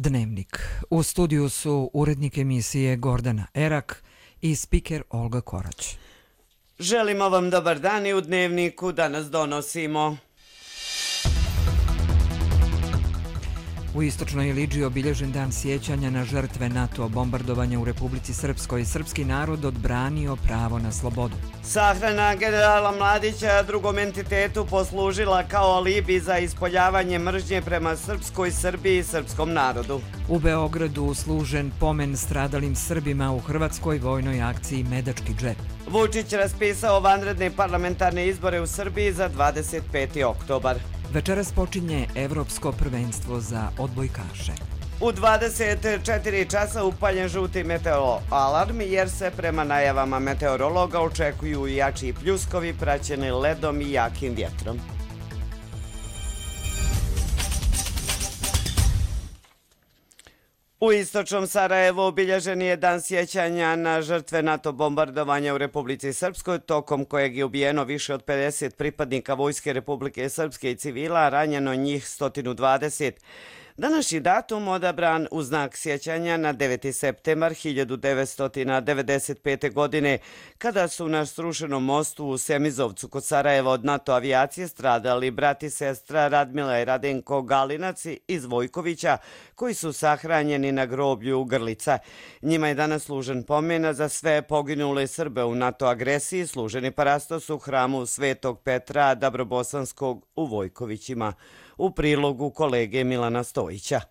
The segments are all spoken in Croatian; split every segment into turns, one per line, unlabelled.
Dnevnik. U studiju su urednik emisije Gordana Erak i spiker Olga Korać.
Želimo vam dobar dan i u Dnevniku danas donosimo.
U istočnoj Iliđi obilježen dan sjećanja na žrtve NATO bombardovanja u Republici Srpskoj. Srpski narod odbranio pravo na slobodu.
Sahrana generala Mladića drugom entitetu poslužila kao alibi za ispoljavanje mržnje prema srpskoj Srbiji i srpskom narodu.
U Beogradu služen pomen stradalim Srbima u hrvatskoj vojnoj akciji Medački džep.
Vučić raspisao vanredne parlamentarne izbore u Srbiji za 25. oktobar.
Večeras počinje Evropsko prvenstvo za odbojkaše.
U 24 časa upaljen žuti meteoalarm jer se prema najavama meteorologa očekuju jači pljuskovi praćeni ledom i jakim vjetrom. U istočnom Sarajevu obilježen je dan sjećanja na žrtve NATO bombardovanja u Republici Srpskoj, tokom kojeg je ubijeno više od 50 pripadnika Vojske Republike Srpske i civila, a ranjeno njih 120. Današnji datum odabran u znak sjećanja na 9. septembar 1995. godine, kada su na srušenom mostu u Semizovcu kod Sarajeva od NATO avijacije stradali brat i sestra Radmila i Radenko Galinaci iz Vojkovića, koji su sahranjeni na groblju Grlica. Njima je danas služen pomen za sve poginule Srbe u NATO agresiji, služeni parastos u hramu Svetog Petra Dabrobosanskog u Vojkovićima. U prilogu kolege Milana Stojića.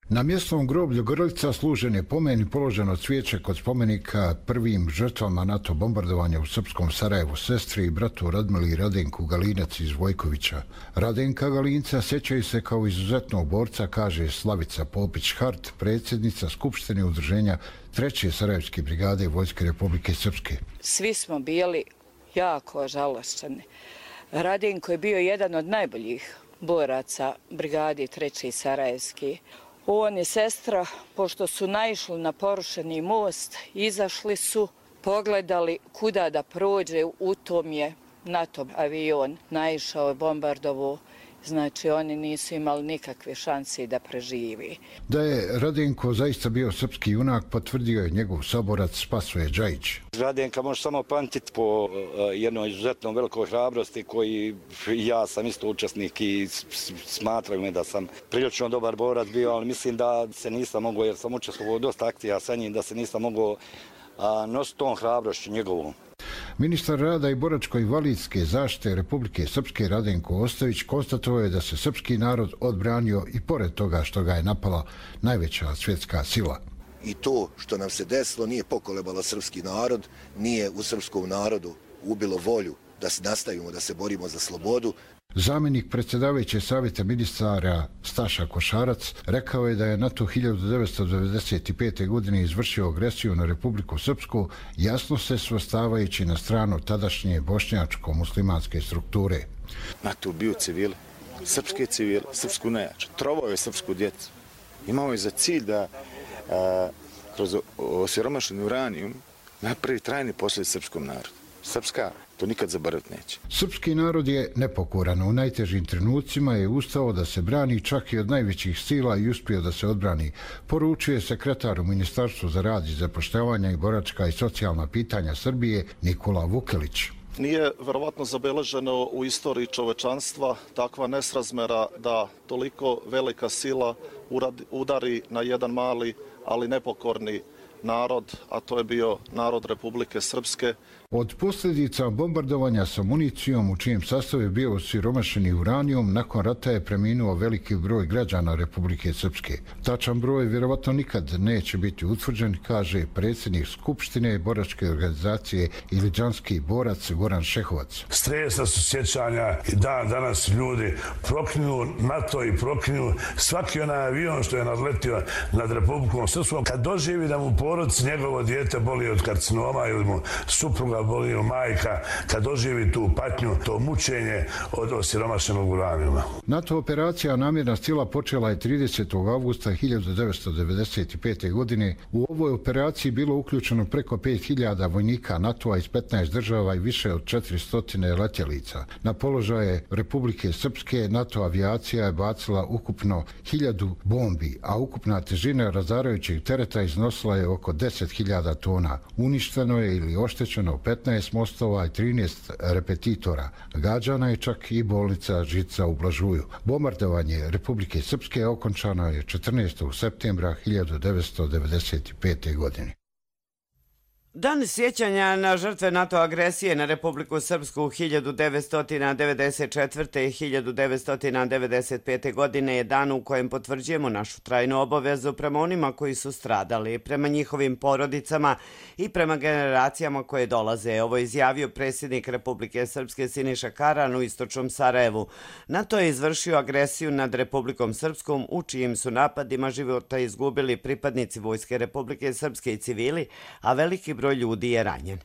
Na mjesnom groblju Grlica služen je pomen i položeno cvijeće kod spomenika prvim žrtvama NATO bombardovanja u srpskom Sarajevu, sestri i bratu Radmili i Radenku Galinac iz Vojkovića. Radenka Galinca sjećaju se kao izuzetnog borca, kaže Slavica Popić-Hart, predsjednica Skupštine udruženja 3. Sarajevske brigade Vojske Republike Srpske.
Svi smo bili jako žalošćeni. Radenko je bio jedan od najboljih boraca brigadi 3. Sarajevski. On i sestra, pošto su naišli na porušeni most, izašli su, pogledali kuda da prođe, u tom je NATO avion naišao i bombardovo. Znači, oni nisu imali nikakve šanse da preživi.
Da je Radenko zaista bio srpski junak, potvrdio je njegov saborac Spasoje Džajić.
Radenka može samo pamtiti po jednoj izuzetno velikoj hrabrosti koji ja sam isto učesnik i smatram me da sam prilično dobar borac bio, ali mislim da se nisam mogao, jer sam učestvovao dosta akcija sa njim, da se nisam mogao nositi tom hrabrošću njegovom.
Ministar rada i boračko-invalidske zaštite Republike Srpske Radenko Ostojić konstatovao je da se srpski narod odbranio i pored toga što ga je napala najveća svjetska sila.
I to što nam se desilo nije pokolebalo srpski narod, nije u srpskom narodu ubilo volju da se nastavimo, da se borimo za slobodu.
Zamjenik predsjedavajuće savjeta ministara Staša Košarac rekao je da je NATO 1995. godine izvršio agresiju na Republiku Srpsku, jasno se svrstavajući na stranu tadašnje bošnjačko-muslimanske strukture.
NATO ubio civile, srpske civile, srpsku nejaču, trovao je srpsku djecu. Imao je za cilj da kroz osiromašeni uranijum napravi trajne posljedice srpskom narodu. Srpska to nikad zaboraviti neće.
Srpski narod je nepokoran. U najtežim trenucima je ustao da se brani čak i od najvećih sila i uspio da se odbrani. Poručuje sekretar u Ministarstvu za rad i zapošljavanje i boračka i socijalna pitanja Srbije Nikola Vukelić.
Nije verovatno zabeleženo u istoriji čovečanstva takva nesrazmera da toliko velika sila udari na jedan mali, ali nepokorni narod, a to je bio narod Republike Srpske.
Od posljedica bombardovanja sa municijom u čijem sastavu je bio osiromašeni uranijum, nakon rata je preminuo veliki broj građana Republike Srpske. Tačan broj vjerovatno nikad neće biti utvrđen, kaže predsjednik Skupštine boračke organizacije Iliđanski borac Goran Šehovac.
Stresna su sjećanja i danas ljudi proklinju NATO i proklinju svaki onaj avion što je nadletio nad Republikom Srpskom. Kad doživi da mu porodici njegovo dijete boli od karcinoma ili mu supruga boli majka kad doživi tu patnju, to mučenje od osiromašenog uranijuma.
NATO operacija Namjerna sila počela je 30. avgusta 1995. godine. U ovoj operaciji bilo uključeno preko 5000 vojnika NATO-a iz 15 država i više od 400 letjelica. Na položaje Republike Srpske NATO avijacija je bacila ukupno 1000 bombi, a ukupna težina razarajućeg tereta iznosila je oko 10.000 tona. Uništeno je ili oštećeno 15 mostova i 13 repetitora. Gađana je čak i bolnica Žica u Blažuju. Bombardovanje Republike Srpske okončano je 14. septembra 1995. godine.
Dan sjećanja na žrtve NATO agresije na Republiku Srpsku 1994. i 1995. godine je dan u kojem potvrđujemo našu trajnu obavezu prema onima koji su stradali, prema njihovim porodicama i prema generacijama koje dolaze. Ovo je izjavio predsjednik Republike Srpske Siniša Karan u istočnom Sarajevu. NATO je izvršio agresiju nad Republikom Srpskom, u čijim su napadima života izgubili pripadnici Vojske Republike Srpske i civili, a veliki broj ljudi je ranjen.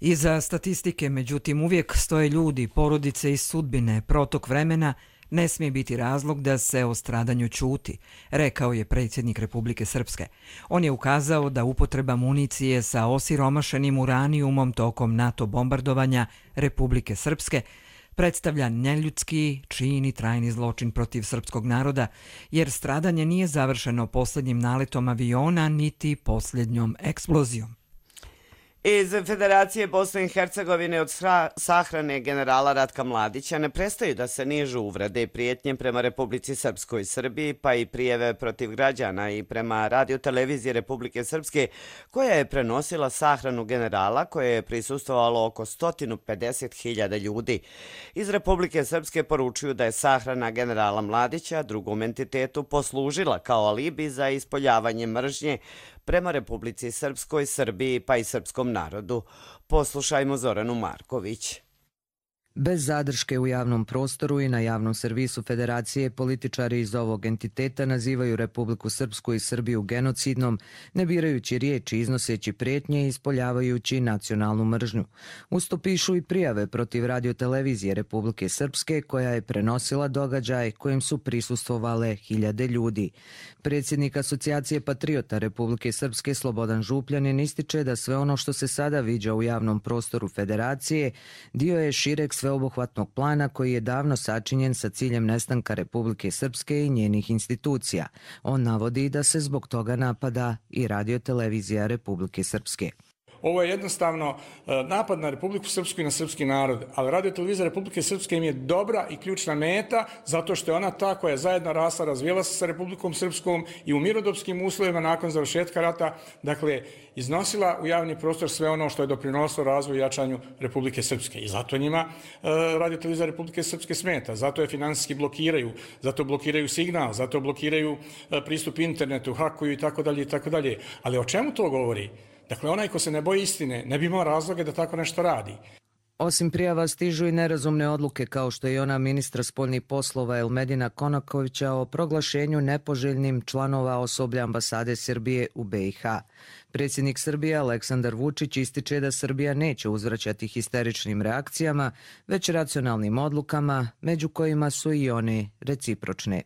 Iza statistike, međutim, uvijek stoje ljudi, porodice i sudbine. Protok vremena ne smije biti razlog da se o stradanju ćuti, rekao je predsjednik Republike Srpske. On je ukazao da upotreba municije sa osiromašenim uranijumom tokom NATO bombardovanja Republike Srpske predstavlja neljudski čin i trajni zločin protiv srpskog naroda, jer stradanje nije završeno posljednjim naletom aviona niti posljednjom eksplozijom.
Iz Federacije Bosne i Hercegovine od sahrane generala Ratka Mladića ne prestaju da se nižu uvrede i prijetnje prema Republici Srpskoj i Srbiji, pa i prijeve protiv građana i prema radiotelevizije Republike Srpske, koja je prenosila sahranu generala, koje je prisustvovalo oko 150.000 ljudi. Iz Republike Srpske poručuju da je sahrana generala Mladića drugom entitetu poslužila kao alibi za ispoljavanje mržnje prema Republici Srpskoj, Srbiji pa i srpskom narodu. Poslušajmo Zoranu Marković.
Bez zadrške u javnom prostoru i na javnom servisu Federacije političari iz ovog entiteta nazivaju Republiku Srpsku i Srbiju genocidnom, ne birajući riječi, iznoseći prijetnje i ispoljavajući nacionalnu mržnju. Usto pišu i prijave protiv radiotelevizije Republike Srpske, koja je prenosila događaj kojem su prisustvovale hiljade ljudi. Predsjednik Asocijacije patriota Republike Srpske Slobodan Župljanin ističe da sve ono što se sada viđa u javnom prostoru Federacije dio je šireg sveobuhvatnog plana koji je davno sačinjen sa ciljem nestanka Republike Srpske i njenih institucija. On navodi da se zbog toga napada i radiotelevizija Republike Srpske.
Ovo je jednostavno napad na Republiku Srpsku i na srpski narod, ali radiotelevizija Republike Srpske im je dobra i ključna meta zato što je ona ta koja je zajedno rasla, razvijela se sa Republikom Srpskom i u mirodopskim uslovima nakon završetka rata, dakle, iznosila u javni prostor sve ono što je doprinosilo razvoju i jačanju Republike Srpske. I zato njima radiotelevizija Republike Srpske smeta, zato je finansijski blokiraju, zato blokiraju signal, zato blokiraju pristup internetu, hakuju i tako dalje i tako dalje. Ali o čemu to govori? Dakle, onaj ko se ne boji istine ne bi imao razloge da tako nešto radi.
Osim prijava stižu i nerazumne odluke kao što je ona ministra spoljnih poslova Elmedina Konakovića o proglašenju nepoželjnim članova osoblja ambasade Srbije u BiH. Predsjednik Srbije Aleksandar Vučić ističe da Srbija neće uzvraćati histeričnim reakcijama, već racionalnim odlukama, među kojima su i one recipročne.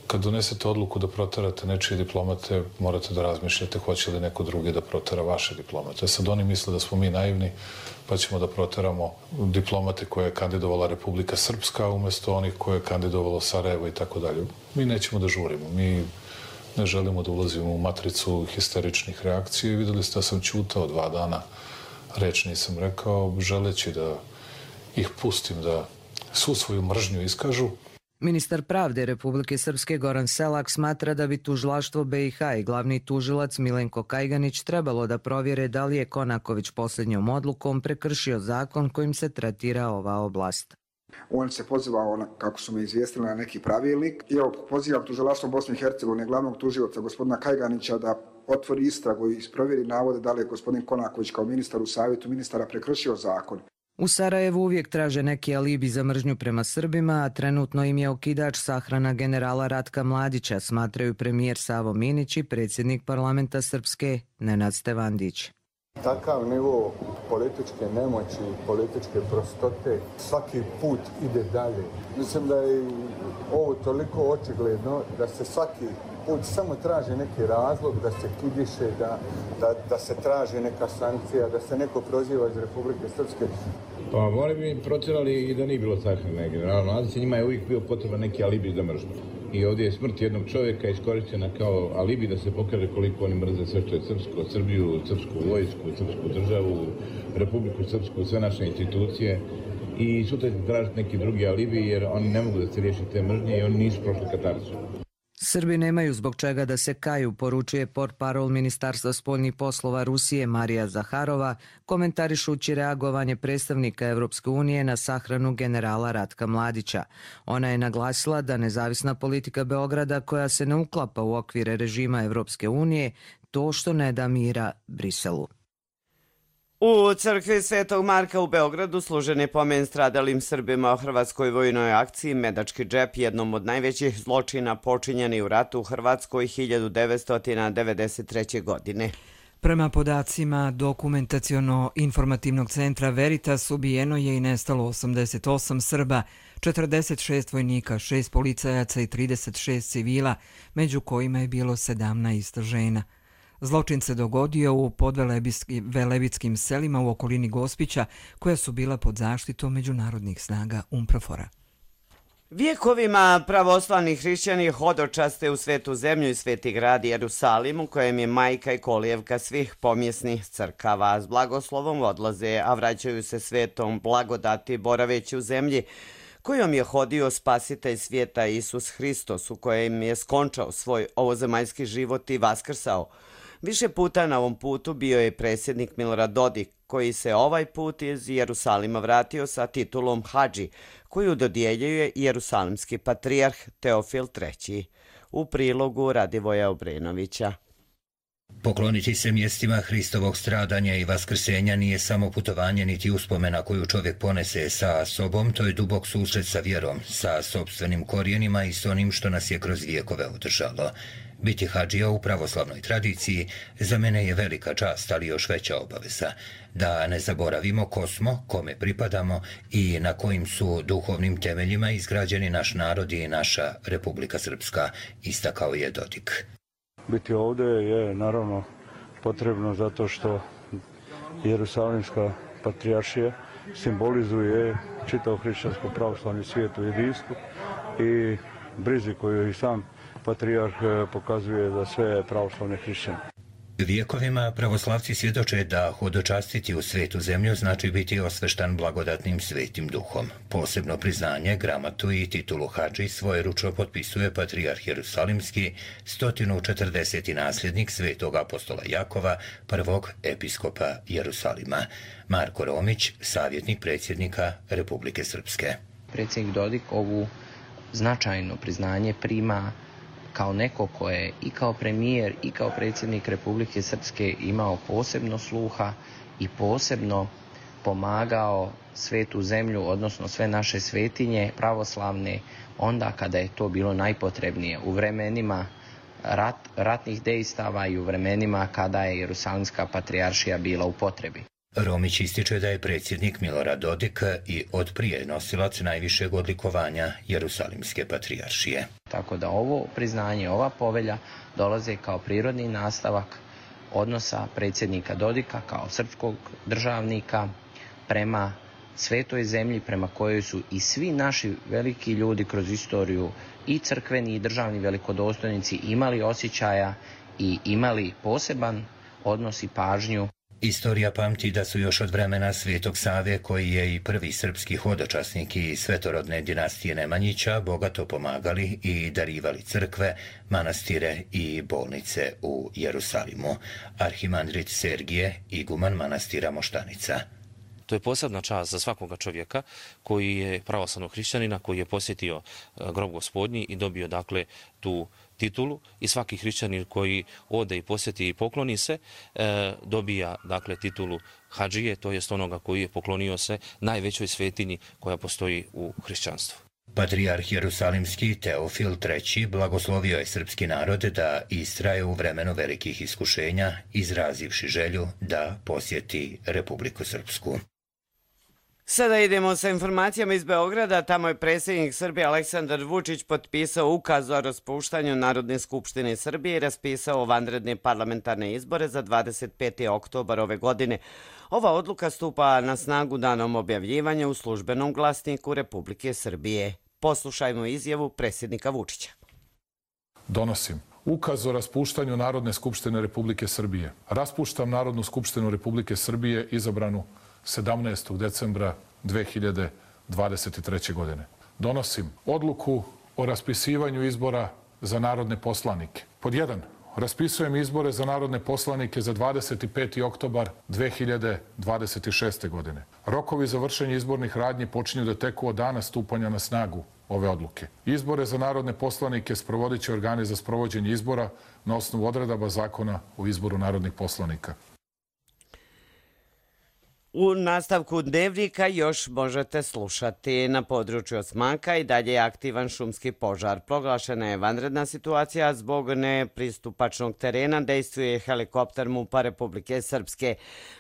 Kad donesete odluku da proterate nečije diplomate, morate da razmišljate hoće li neko drugi da protera vaše diplomate. Sad oni misle da smo mi naivni, pa ćemo da proteramo diplomate koje je kandidovala Republika Srpska umjesto onih koje je kandidovalo Sarajevo i tako dalje. Mi nećemo da žurimo, mi ne želimo da ulazimo u matricu histeričnih reakcija i videli ste da sam ćutao 2 dana, reč nisam rekao, želeći da ih pustim da svu svoju mržnju iskažu.
Ministar pravde Republike Srpske Goran Selak smatra da bi tužilaštvo BiH i glavni tužilac Milenko Kajganić trebalo da provjere da li je Konaković posljednjom odlukom prekršio zakon kojim se tretira ova oblast.
On se pozivao, kako su me izvijestili, na neki pravilnik. I evo, pozivam tužilaštvo Bosne i Hercegovine, glavnog tužioca gospodina Kajganića, da otvori istragu i isprovjeri navode da li je gospodin Konaković kao ministar u savjetu ministara prekršio zakon.
U Sarajevu uvijek traže neki alibi za mržnju prema Srbima, a trenutno im je okidač sahrana generala Ratka Mladića, smatraju premijer Savo Minić i predsjednik parlamenta Srpske Nenad Stevandić.
Takav nivo političke nemoći, političke prostote, svaki put ide dalje. Mislim da je ovo toliko očigledno da se svaki put samo traži neki razlog, da se kidiše, da se traži neka sankcija, da se neko proziva iz Republike Srpske.
Pa oni bi protjerali i da nije bilo sahrane generala Mladića, njima je uvijek bio potreban neki alibi za mržnju. I ovdje je smrt jednog čovjeka iskorištena kao alibi da se pokaže koliko oni mrze sve što je srpsko, Srbiju, srpsku vojsku, srpsku državu, Republiku Srpsku, sve naše institucije. I sutra će tražiti neki drugi alibi jer oni ne mogu da se riješi te mržnje i oni nisu prošli katarzu.
Srbi nemaju zbog čega da se kaju, poručuje portparol Ministarstva spoljnih poslova Rusije Marija Zaharova, komentarišući reagovanje predstavnika Evropske unije na sahranu generala Ratka Mladića. Ona je naglasila da nezavisna politika Beograda, koja se ne uklapa u okvire režima Evropske unije, to što ne da mira Briselu.
U crkvi Svetog Marka u Beogradu služen je pomen stradalim Srbima o hrvatskoj vojnoj akciji Medački džep, jednom od najvećih zločina počinjeni u ratu u Hrvatskoj 1993. godine.
Prema podacima Dokumentaciono-informativnog centra Veritas ubijeno je i nestalo 88 Srba, 46 vojnika, 6 policajaca i 36 civila, među kojima je bilo 17 žena. Zločin se dogodio u podvelebitskim selima u okolini Gospića, koja su bila pod zaštitom međunarodnih snaga UNPROFOR-a.
Vjekovima pravoslavni hrišćani hodočaste u svetu zemlju i sveti grad Jerusalim, u kojem je majka i kolijevka svih pomjesnih crkava. S blagoslovom odlaze, a vraćaju se svetom blagodati boraveći u zemlji kojom je hodio spasitelj svijeta Isus Hristos, u kojem je skončao svoj ovozemaljski život i vaskrsao. Više puta na ovom putu bio je predsjednik Milorad Dodik, koji se ovaj put iz Jerusalima vratio sa titulom Hadži, koju dodjeljuje jerusalimski patrijarh Teofil III. U prilogu Radivoja Obrenovića.
Pokloniti se mjestima Hristovog stradanja i vaskrsenja nije samo putovanje niti uspomena koju čovjek ponese sa sobom, to je dubok susret sa vjerom, sa sopstvenim korijenima i s onim što nas je kroz vijekove održalo. Biti hadžija u pravoslavnoj tradiciji za mene je velika čast, ali još veća obaveza. Da ne zaboravimo ko smo, kome pripadamo i na kojim su duhovnim temeljima izgrađeni naš narod i naša Republika Srpska, istakao je Dodik.
Biti ovdje je naravno potrebno zato što Jerusalimska patrijaršija simbolizuje čitav hrišćansko pravoslavni svijet u jedinstvu i brizi koju i sam patrijarh pokazuje za sve pravoslavne hrišćane.
Vjekovima pravoslavci svjedoče da hodočastiti u svetu zemlju znači biti osveštan blagodatnim svetim duhom. Posebno priznanje, gramatu i titulu hadži svojeručno potpisuje patrijarh Jerusalimski, 140. nasljednik svetog apostola Jakova, prvog episkopa Jerusalima. Marko Romić, savjetnik predsjednika Republike Srpske.
Predsjednik Dodik ovu značajno priznanje prima kao neko ko je i kao premijer i kao predsjednik Republike Srpske imao posebno sluha i posebno pomagao svetu zemlju, odnosno sve naše svetinje pravoslavne, onda kada je to bilo najpotrebnije, u vremenima ratnih dejstava i u vremenima kada je Jerusalimska patrijaršija bila u potrebi.
Romić ističe da je predsjednik Milorad Dodik i od prije nosilac najvišeg odlikovanja Jerusalimske patrijaršije.
Tako da ovo priznanje, ova povelja dolaze kao prirodni nastavak odnosa predsjednika Dodika kao srpskog državnika prema svetoj zemlji, prema kojoj su i svi naši veliki ljudi kroz istoriju, i crkveni i državni velikodostojnici, imali osjećaja i imali poseban odnos i pažnju.
Istorija pamti da su još od vremena Svetog Save, koji je i prvi srpski hodočasnik i svetorodne dinastije Nemanjića, bogato pomagali i darivali crkve, manastire i bolnice u Jerusalimu. Arhimandrit Sergije, iguman manastira Moštanica.
To je posebna čast za svakoga čovjeka koji je pravoslavnog hrišćanina, koji je posjetio grob Gospodnji i dobio dakle tu titulu, i svaki hrišćanin koji ode i posjeti i pokloni se dobija dakle titulu hadžije, to jest onoga koji je poklonio se najvećoj svetinji koja postoji u hrišćanstvu.
Patrijarh Jerusalimski Teofil III blagoslovio je srpski narod da istraje u vremenu velikih iskušenja, izrazivši želju da posjeti Republiku Srpsku.
Sada idemo sa informacijama iz Beograda. Tamo je predsjednik Srbije Aleksandar Vučić potpisao ukaz o raspuštanju Narodne skupštine Srbije i raspisao vanredne parlamentarne izbore za 25. oktobar ove godine. Ova odluka stupa na snagu danom objavljivanja u službenom glasniku Republike Srbije. Poslušajmo izjavu predsjednika Vučića.
Donosim ukaz o raspuštanju Narodne skupštine Republike Srbije. Raspuštam Narodnu skupštinu Republike Srbije izabranu 17. decembra 2023. godine. Donosim odluku o raspisivanju izbora za narodne poslanike. Pod 1. Raspisujem izbore za narodne poslanike za 25. oktobar 2026. godine. Rokovi za vršenje izbornih radnji počinju da teku od dana stupanja na snagu ove odluke. Izbore za narodne poslanike sprovodit će organi za sprovođenje izbora na osnovu odredaba Zakona o izboru narodnih poslanika.
U nastavku dnevnika još možete slušati. Na području Osmaka i dalje je aktivan šumski požar. Proglašena je vanredna situacija zbog nepristupačnog terena. Dejstvuje helikopter MUP-a Republike Srpske.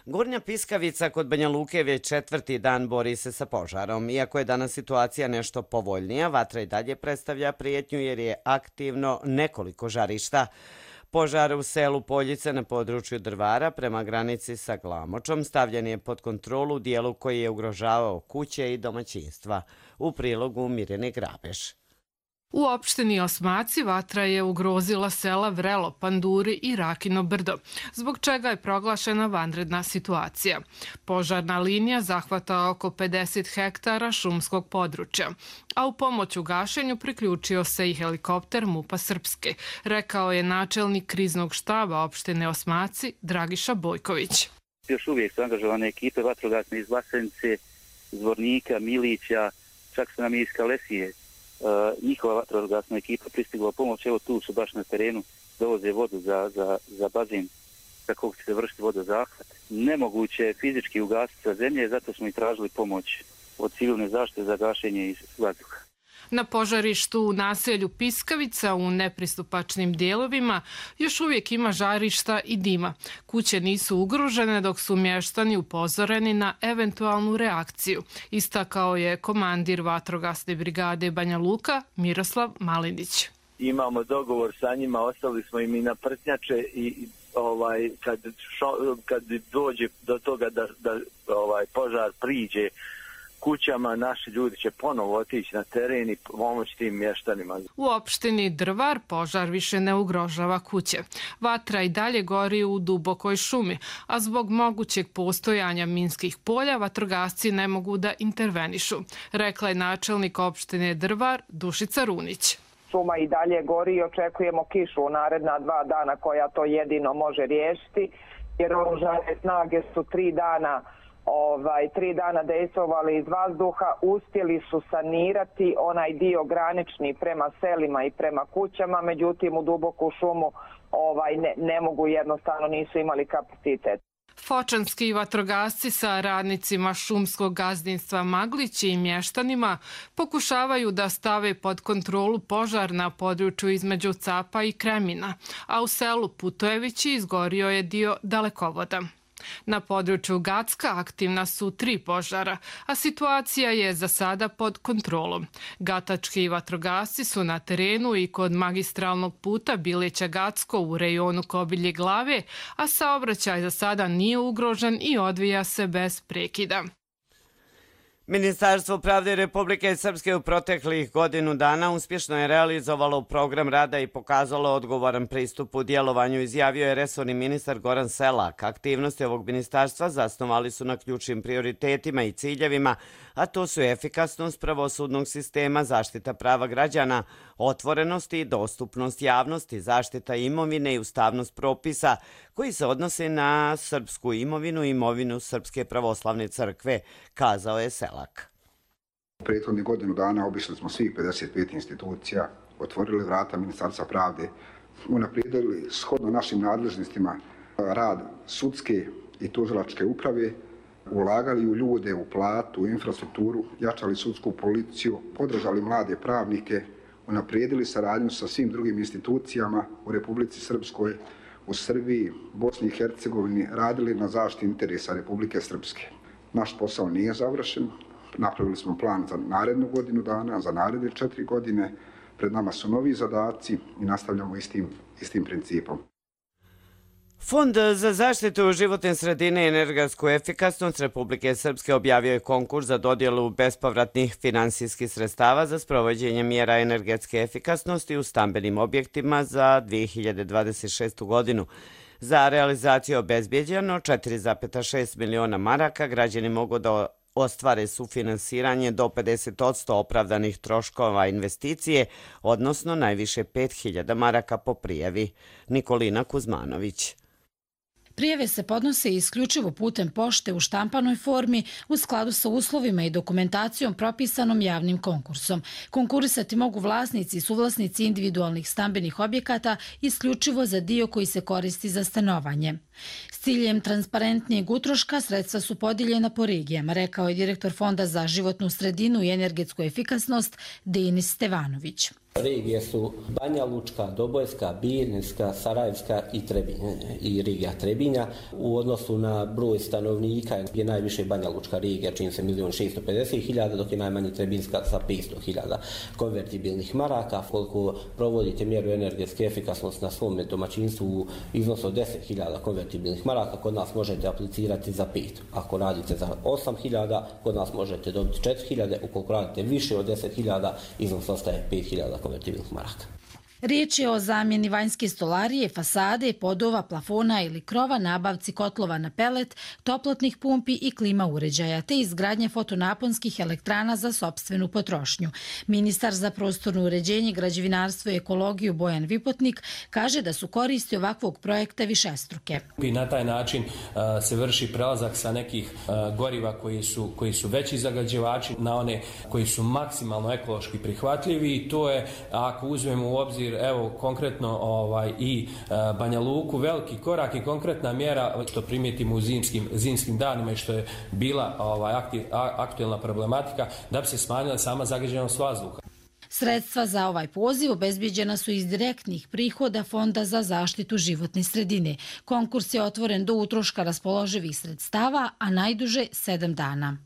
Gornja Piskavica kod Banja Luke već 4. dan bori se sa požarom. Iako je danas situacija nešto povoljnija, vatra i dalje predstavlja prijetnju jer je aktivno nekoliko žarišta. Požar u selu Poljice na području Drvara prema granici sa Glamočom stavljen je pod kontrolu u dijelu koji je ugrožavao kuće i domaćinstva. U prilogu Mirjane Grabeš.
U opštini Osmaci vatra je ugrozila sela Vrelo, Panduri i Rakino brdo, zbog čega je proglašena vanredna situacija. Požarna linija zahvata oko 50 hektara šumskog područja, a u pomoć u gašenju priključio se i helikopter MUP-a Srpske, rekao je načelnik kriznog štaba opštine Osmaci Dragiša Bojković.
Još uvijek su angažovane ekipe vatrogasne iz Vlasenice, Zvornika, Milića, čak su nam i iz Kalesije. Njihova vatrogasna ekipa pristigla pomoć, evo tu su baš na terenu, dovoze vodu za bazen kako će se vršiti vodozahvat. Nemoguće je fizički ugasiti sa zemlje, zato smo i tražili pomoć od civilne zaštite za gašenje iz vazduha.
Na požarištu u naselju Piskavica u nepristupačnim dijelovima još uvijek ima žarišta i dima. Kuće nisu ugrožene dok su mještani upozoreni na eventualnu reakciju, istakao je komandir vatrogasne brigade Banja Luka Miroslav Malinić.
Imamo dogovor sa njima, ostali smo im i na prtnjače i kad dođe do toga da požar priđe kućama, naši ljudi će ponovo otići na teren i pomoći tim mještanima.
U opštini Drvar požar više ne ugrožava kuće. Vatra i dalje gori u dubokoj šumi, a zbog mogućeg postojanja minskih polja vatrogasci ne mogu da intervenišu, rekla je načelnik opštine Drvar Dušica Runić.
Šuma i dalje gori i očekujemo kišu u naredna 2 dana koja to jedino može riješiti, jer oružane snage su 3 dana dejstvovali iz vazduha, uspjeli su sanirati onaj dio granični prema selima i prema kućama, međutim u duboku šumu ne mogu, jednostavno nisu imali kapacitet.
Fočanski vatrogasci sa radnicima šumskog gazdinstva Maglići i mještanima pokušavaju da stave pod kontrolu požar na području između Capa i Kremina, a u selu Putojevići izgorio je dio dalekovoda. Na području Gacka aktivna su 3 požara, a situacija je za sada pod kontrolom. Gatački vatrogasci su na terenu i kod magistralnog puta Bileća-Gacko u rejonu Kobilje Glave, a saobraćaj za sada nije ugrožen i odvija se bez prekida.
Ministarstvo pravde Republike Srpske u proteklih godinu dana uspješno je realizovalo program rada i pokazalo odgovoran pristup u djelovanju, izjavio je resorni ministar Goran Selak. Aktivnosti ovog ministarstva zasnovali su na ključnim prioritetima i ciljevima, a to su efikasnost pravosudnog sistema, zaštita prava građana, otvorenost i dostupnost javnosti, zaštita imovine i ustavnost propisa koji se odnose na srpsku imovinu i imovinu Srpske pravoslavne crkve, kazao je Selak.
U prethodnih godinu dana obišli smo svih 55 institucija, otvorili vrata Ministarstva pravde, unaprijedili shodno našim nadležnostima rad sudske i tužilačke uprave, ulagali u ljude, u platu, u infrastrukturu, jačali sudsku policiju, podržali mlade pravnike, unaprijedili saradnju sa svim drugim institucijama u Republici Srpskoj, u Srbiji, Bosni i Hercegovini, radili na zaštiti interesa Republike Srpske. Naš posao nije završen, napravili smo plan za narednu godinu dana, za naredne 4 godine, pred nama su novi zadaci i nastavljamo istim principom.
Fond za zaštitu životne sredine i energetsku efikasnost Republike Srpske objavio je konkurs za dodjelu bespovratnih finansijskih sredstava za sprovođenje mjera energetske efikasnosti u stambenim objektima za 2026. godinu. Za realizaciju je obezbjeđeno 4,6 miliona maraka. Građani mogu da ostvare sufinansiranje do 50% opravdanih troškova investicije, odnosno najviše 5.000 maraka po prijavi. Nikolina Kuzmanović.
Prijave se podnose isključivo putem pošte u štampanoj formi u skladu sa uslovima i dokumentacijom propisanom javnim konkursom. Konkurisati mogu vlasnici i suvlasnici individualnih stambenih objekata isključivo za dio koji se koristi za stanovanje. S ciljem transparentnijeg utroška sredstva su podijeljena po regijama, rekao je direktor Fonda za životnu sredinu i energetsku efikasnost Denis Stevanović.
Regije su Banja Lučka, Dobojska, Bijeljinska, Sarajevska i regija Trebinja. U odnosu na broj stanovnika je najviše Banja Lučka regija, čini se 1.650.000, dok je najmanji Trebinska sa 500.000 konvertibilnih maraka. Koliko provodite mjeru energetske efikasnosti na svom domaćinstvu u iznosu od 10.000 konvertibilnih maraka, kod nas možete aplicirati za 5. Ako radite za 8.000, kod nas možete dobiti 4.000. Ukoliko radite više od 10.000, iznos ostaje 5.000 konvertibilnih maraka.
Riječ je o zamjeni vanjske stolarije, fasade, podova, plafona ili krova, nabavci kotlova na pelet, toplotnih pumpi i klima uređaja, te izgradnje fotonaponskih elektrana za sopstvenu potrošnju. Ministar za prostorno uređenje, građevinarstvo i ekologiju Bojan Vipotnik kaže da su koristi ovakvog projekta višestruke.
I na taj način se vrši prelazak sa nekih goriva koji su veći zagađivači na one koji su maksimalno ekološki prihvatljivi i to je, ako uzmemo u obzir evo konkretno i Banja Luku, veliki korak i konkretna mjera što primijetimo u zimskim danima i što je bila aktuelna problematika da bi se smanjila sama zagađenost vazduha.
Sredstva za ovaj poziv obezbijeđena su iz direktnih prihoda Fonda za zaštitu životne sredine. Konkurs je otvoren do utroška raspoloživih sredstava, a najduže 7 dana.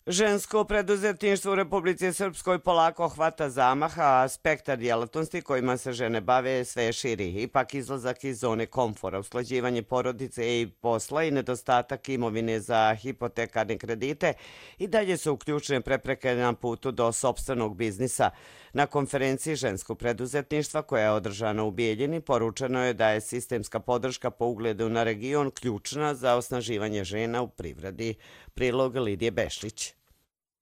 Žensko preduzetništvo u Republici Srpskoj polako hvata zamaha, a spektar djelatnosti kojima se žene bave sve širi. Ipak izlazak iz zone komfora, usklađivanje porodice i posla i nedostatak imovine za hipotekarne kredite i dalje su ključne prepreke na putu do sopstvenog biznisa. Na konferenciji ženskog preduzetništva koja je održana u Bijeljini poručeno je da je sistemska podrška po ugledu na region ključna za osnaživanje žena u privredi. Prilog Lidije Bešlić.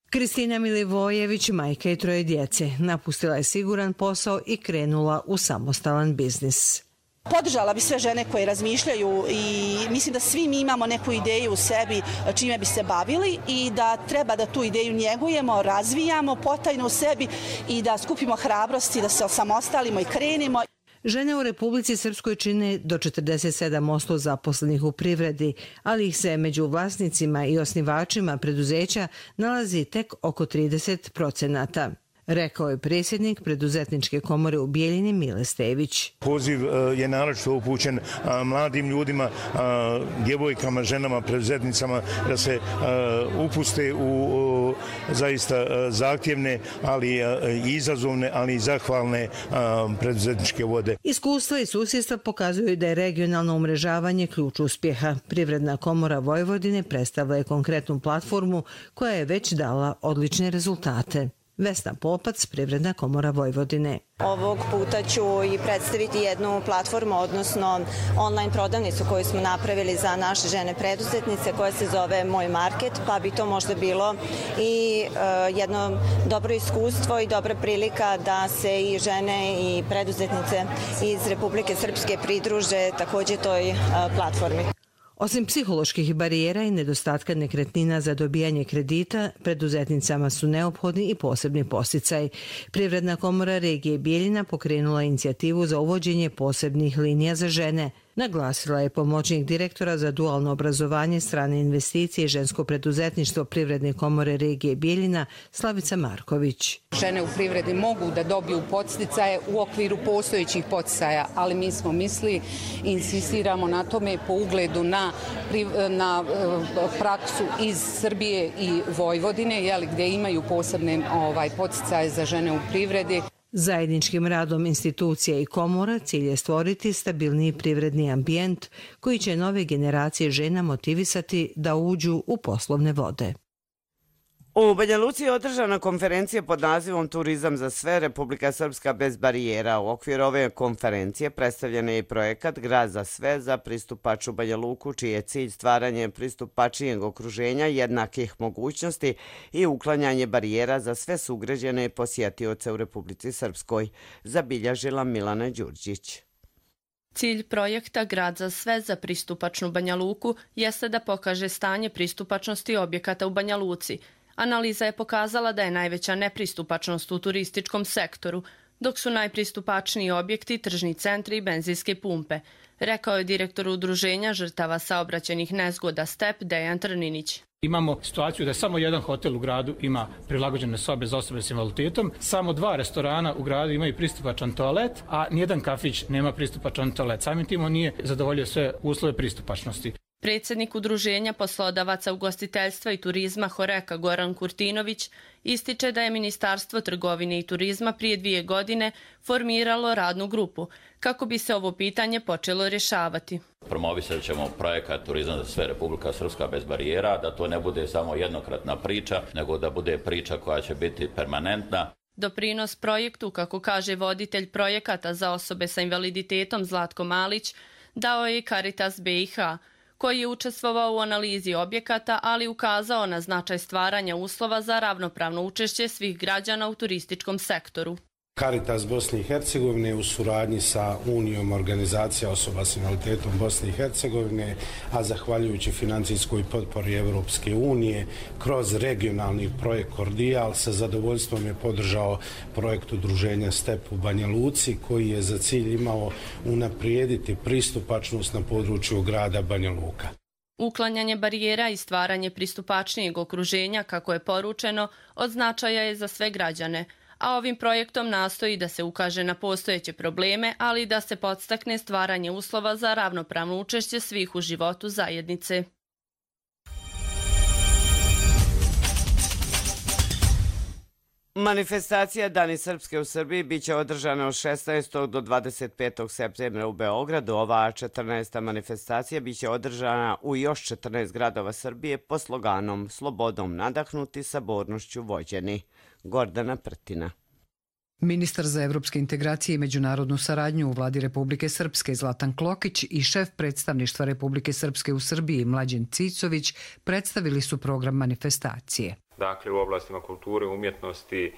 Kristina Milivojević, majka i 3 djece, napustila je siguran posao i krenula u samostalan biznis.
Podržala bi sve žene koje razmišljaju i mislim da svi mi imamo neku ideju u sebi čime bi se bavili i da treba da tu ideju njegujemo, razvijamo potajno u sebi i da skupimo hrabrosti, da se osamostalimo i krenemo.
Žene u Republici Srpskoj čine do 47% zaposlenih u privredi, ali ih se među vlasnicima i osnivačima preduzeća nalazi tek oko 30%. Rekao je predsjednik Preduzetničke komore u Bijeljini Mile Stević.
Poziv je naročito upućen mladim ljudima, djevojkama, ženama, preduzetnicama da se upuste u zaista zahtjevne, ali i izazovne, ali i zahvalne preduzetničke vode.
Iskustva i susjedstva pokazuju da je regionalno umrežavanje ključ uspjeha. Privredna komora Vojvodine predstavlja je konkretnu platformu koja je već dala odlične rezultate. Vesna Popac, Privredna komora Vojvodine.
Ovog puta ću i predstaviti jednu platformu, odnosno online prodavnicu koju smo napravili za naše žene preduzetnice koja se zove Moj market, pa bi to možda bilo i jedno dobro iskustvo i dobra prilika da se i žene i preduzetnice iz Republike Srpske pridruže također toj platformi.
Osim psiholoških barijera i nedostatka nekretnina za dobijanje kredita, preduzetnicama su neophodni i posebni podsticaj. Privredna komora regije Bijeljina pokrenula inicijativu za uvođenje posebnih linija za žene. Naglasila je pomoćnik direktora za dualno obrazovanje, strane investicije i žensko preduzetništvo Privredne komore regije Bijeljina Slavica Marković.
Žene u privredi mogu da dobiju podsticaje u okviru postojećih podsticaja, ali mi smo mislili i insistiramo na tome po ugledu na praksu iz Srbije i Vojvodine, gdje imaju posebne podsticaje za žene u privredi.
Zajedničkim radom institucija i komora cilj je stvoriti stabilniji privredni ambijent koji će nove generacije žena motivisati da uđu u poslovne vode.
U Banja Luci je održana konferencija pod nazivom Turizam za sve, Republika Srpska bez barijera. U okviru ove konferencije predstavljen je i projekat Grad za sve za pristupačnu Banja Luku, čiji je cilj stvaranje pristupačnijeg okruženja, jednakih mogućnosti i uklanjanje barijera za sve sugrađane i posjetioce u Republici Srpskoj, zabilježila Milana Đurđić.
Cilj projekta Grad za sve za pristupačnu Banja Luku jeste da pokaže stanje pristupačnosti objekata u Banja Luci. Analiza je pokazala da je najveća nepristupačnost u turističkom sektoru, dok su najpristupačniji objekti tržni centri i benzinske pumpe, rekao je direktor udruženja žrtava saobraćajnih nezgoda STEP Dejan Trninić.
Imamo situaciju da samo jedan hotel u gradu ima prilagođene sobe za osobe s invaliditetom, samo 2 restorana u gradu imaju pristupačan toalet, a nijedan kafić nema pristupačan toalet. Samim tim on nije zadovoljio sve uslove pristupačnosti.
Predsjednik udruženja poslodavaca ugostiteljstva i turizma Horeka Goran Kurtinović ističe da je Ministarstvo trgovine i turizma prije 2 godine formiralo radnu grupu kako bi se ovo pitanje počelo rješavati.
Promovisat ćemo projekat Turizam za sve, Republika Srpska bez barijera, da to ne bude samo jednokratna priča, nego da bude priča koja će biti permanentna.
Doprinos projektu, kako kaže voditelj projekata za osobe sa invaliditetom Zlatko Malić, dao je i Caritas BiH, koji je učestvovao u analizi objekata, ali ukazao na značaj stvaranja uslova za ravnopravno učešće svih građana u turističkom sektoru.
Caritas Bosne i Hercegovine u suradnji sa Unijom organizacija osoba s invaliditetom Bosne i Hercegovine, a zahvaljujući financijskoj potpori Europske unije, kroz regionalni projekt Kordijal sa zadovoljstvom je podržao projekt udruženja STEP u Banja Luci, koji je za cilj imao unaprijediti pristupačnost na području grada Banja Luka.
Uklanjanje barijera i stvaranje pristupačnijeg okruženja, kako je poručeno, od značaja je za sve građane, a ovim projektom nastoji da se ukaže na postojeće probleme, ali i da se podstakne stvaranje uslova za ravnopravno učešće svih u životu zajednice.
Manifestacija Dani Srpske u Srbiji biće održana od 16. do 25. septembra u Beogradu. Ova 14. manifestacija biće održana u još 14 gradova Srbije pod sloganom Slobodom nadahnuti, sabornošću vođeni. Gordana Prtina.
Ministar za evropske integracije i međunarodnu saradnju u vladi Republike Srpske Zlatan Klokić i šef predstavništva Republike Srpske u Srbiji Mlađen Cicović predstavili su program manifestacije.
Dakle, u oblastima kulture, umjetnosti,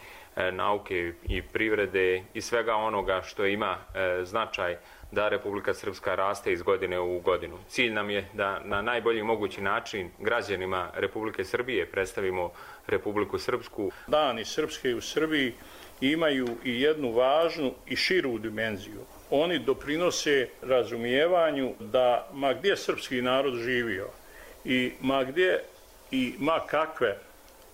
nauke i privrede i svega onoga što ima značaj da Republika Srpska raste iz godine u godinu. Cilj nam je da na najbolji mogući način građanima Republike Srbije predstavimo Republiku Srpsku.
Dani Srpske u Srbiji imaju i jednu važnu i širu dimenziju. Oni doprinose razumijevanju da ma gdje srpski narod živio i ma gdje i ma kakve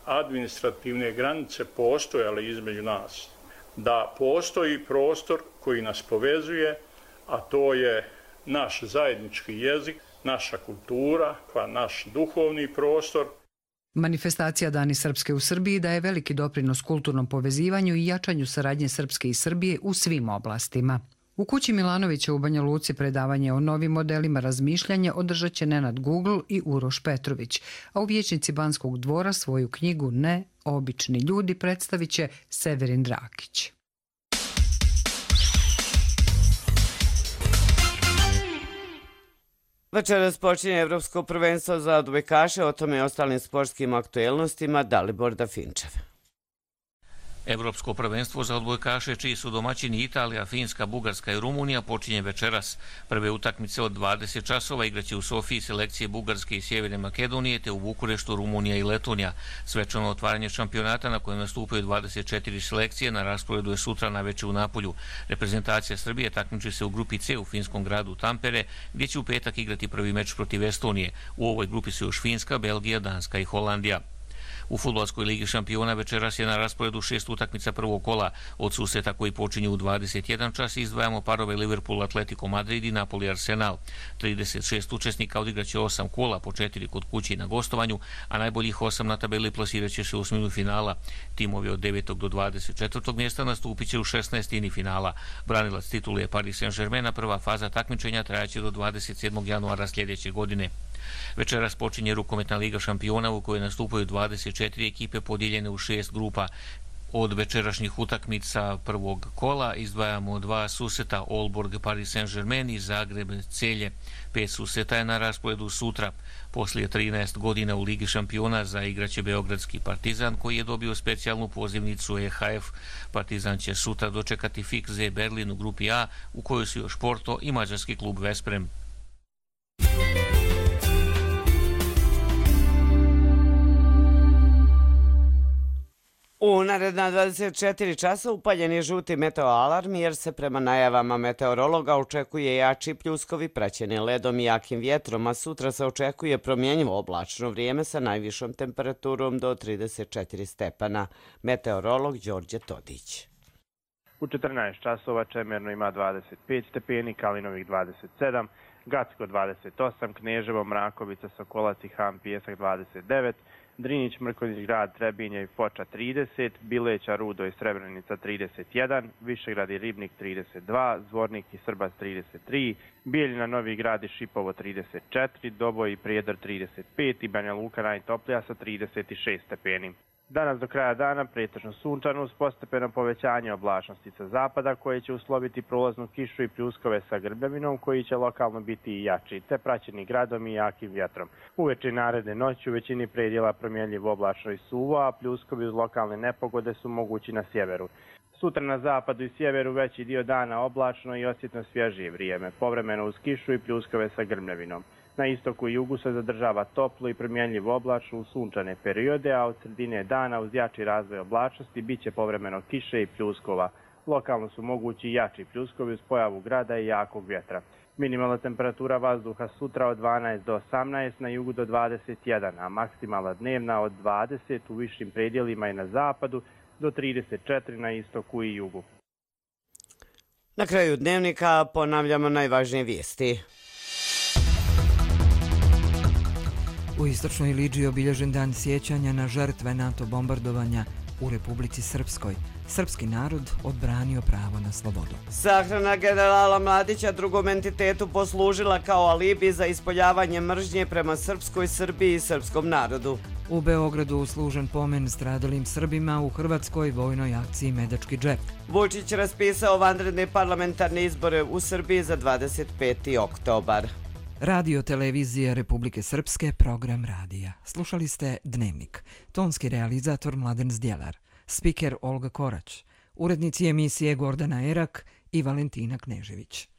administrativne granice postojale između nas, da postoji prostor koji nas povezuje, a to je naš zajednički jezik, naša kultura, pa naš duhovni prostor.
Manifestacija Dani Srpske u Srbiji daje veliki doprinos kulturnom povezivanju i jačanju saradnje Srpske i Srbije u svim oblastima. U kući Milanovića u Banja Luci predavanje o novim modelima razmišljanja održat će Nenad Google i Uroš Petrović, a u vijećnici Banskog dvora svoju knjigu Ne, obični ljudi predstavit će Severin Drakić.
Večeras počinje Evropsko prvenstvo za odbojkaše, o tome i ostalim sportskim aktuelnostima Dalibor Dafinčev.
Evropsko prvenstvo za odbojkaše, čiji su domaćini Italija, Finska, Bugarska i Rumunija, počinje večeras. Prve utakmice od 20 časova igraće u Sofiji selekcije Bugarske i Sjeverne Makedonije, te u Bukureštu Rumunija i Letonija. Svečano otvaranje šampionata na kojem nastupaju 24 selekcije na rasporedu je sutra naveče u Napolju. Reprezentacija Srbije takmiči se u grupi C u finskom gradu Tampere, gdje će u petak igrati prvi meč protiv Estonije. U ovoj grupi su još Finska, Belgija, Danska i Holandija. U fudbalskoj ligi šampiona večeras je na rasporedu 6 utakmica prvog kola. Od susreta koji počinju u 21 čas izdvajamo parove Liverpool, Atletico Madrid i Napoli Arsenal. 36 učesnika odigraće 8 kola, po 4 kod kuće i na gostovanju, a najboljih 8 na tabeli plasiraće se u osminu finala. Timovi od 9. do 24. mjesta nastupit će u 16. finala. Branilac titule je Paris Saint-Germain, a prva faza takmičenja trajaće do 27. januara sljedeće godine. Večeras počinje rukometna liga šampiona u kojoj nastupaju 24 ekipe podijeljene u 6 grupa. Od večerašnjih utakmica prvog kola izdvajamo 2 susreta Aalborg, Paris Saint-Germain i Zagreb, Celje. 5 susreta je na rasporedu sutra. Poslije 13 godina u Ligi šampiona zaigraće Beogradski Partizan, koji je dobio specijalnu pozivnicu EHF. Partizan će sutra dočekati Fikze Berlin u grupi A, u kojoj su još Porto i mađarski klub Vesprem.
U naredna 24 časa upaljen je žuti meteoalarm jer se prema najavama meteorologa očekuje jači pljuskovi praćeni ledom i jakim vjetrom, a sutra se očekuje promjenjivo oblačno vrijeme sa najvišom temperaturom do 34 stepana. Meteorolog Đorđe Todić.
U 14 časova Čemerno ima 25 stepeni, Kalinovih 27, Gacko 28, Kneževo, Mrakovica, Sokolac i Ham Pijesak 29, Drinić, Mrkonjić grad, Trebinje i Foča 30, Bileća, Rudo i Srebrenica 31, Višegrad i Ribnik 32, Zvornik i Srbac 33, Bijeljina, Novi grad i Šipovo 34, Doboj i Prijedor 35 i Banja Luka najtoplija sa 36 stepeni. Danas do kraja dana pretežno sunčano uz postepeno povećanje oblačnosti sa zapada koje će usloviti prolaznu kišu i pljuskove sa grbljavinom koji će lokalno biti i jači, te praćeni gradom i jakim vjetrom. Uveče i naredne noći u većini predjela promjenljivo oblačno i suvo, a pljuskovi uz lokalne nepogode su mogući na sjeveru. Sutra na zapadu i sjeveru veći dio dana oblačno i osjetno svježije vrijeme, povremeno uz kišu i pljuskove sa grmljavinom. Na istoku i jugu se zadržava toplo i promjenljivo oblačno u sunčane periode, a od sredine dana uz jači razvoj oblačnosti bit će povremeno kiše i pljuskova. Lokalno su mogući i jači pljuskovi uz pojavu grada i jakog vjetra. Minimalna temperatura vazduha sutra od 12 do 18, na jugu do 21, a maksimalna dnevna od 20 u višim predjelima i na zapadu do 34 na istoku i jugu.
Na kraju dnevnika ponavljamo najvažnije vijesti.
U istočnoj Lidži obilježen dan sjećanja na žrtve NATO bombardovanja u Republici Srpskoj. Srpski narod odbranio pravo na slobodu.
Sahrana generala Mladića drugom entitetu poslužila kao alibi za ispoljavanje mržnje prema srpskoj Srbiji i srpskom narodu.
U Beogradu služen pomen stradalim Srbima u hrvatskoj vojnoj akciji Medački džep.
Vučić raspisao vanredne parlamentarne izbore u Srbiji za 25. oktobar.
Radio televizija Republike Srpske, program radija. Slušali ste Dnevnik. Tonski realizator Mladen Zdjelar. Spiker Olga Korać. Urednici emisije Gordana Erak i Valentina Knežević.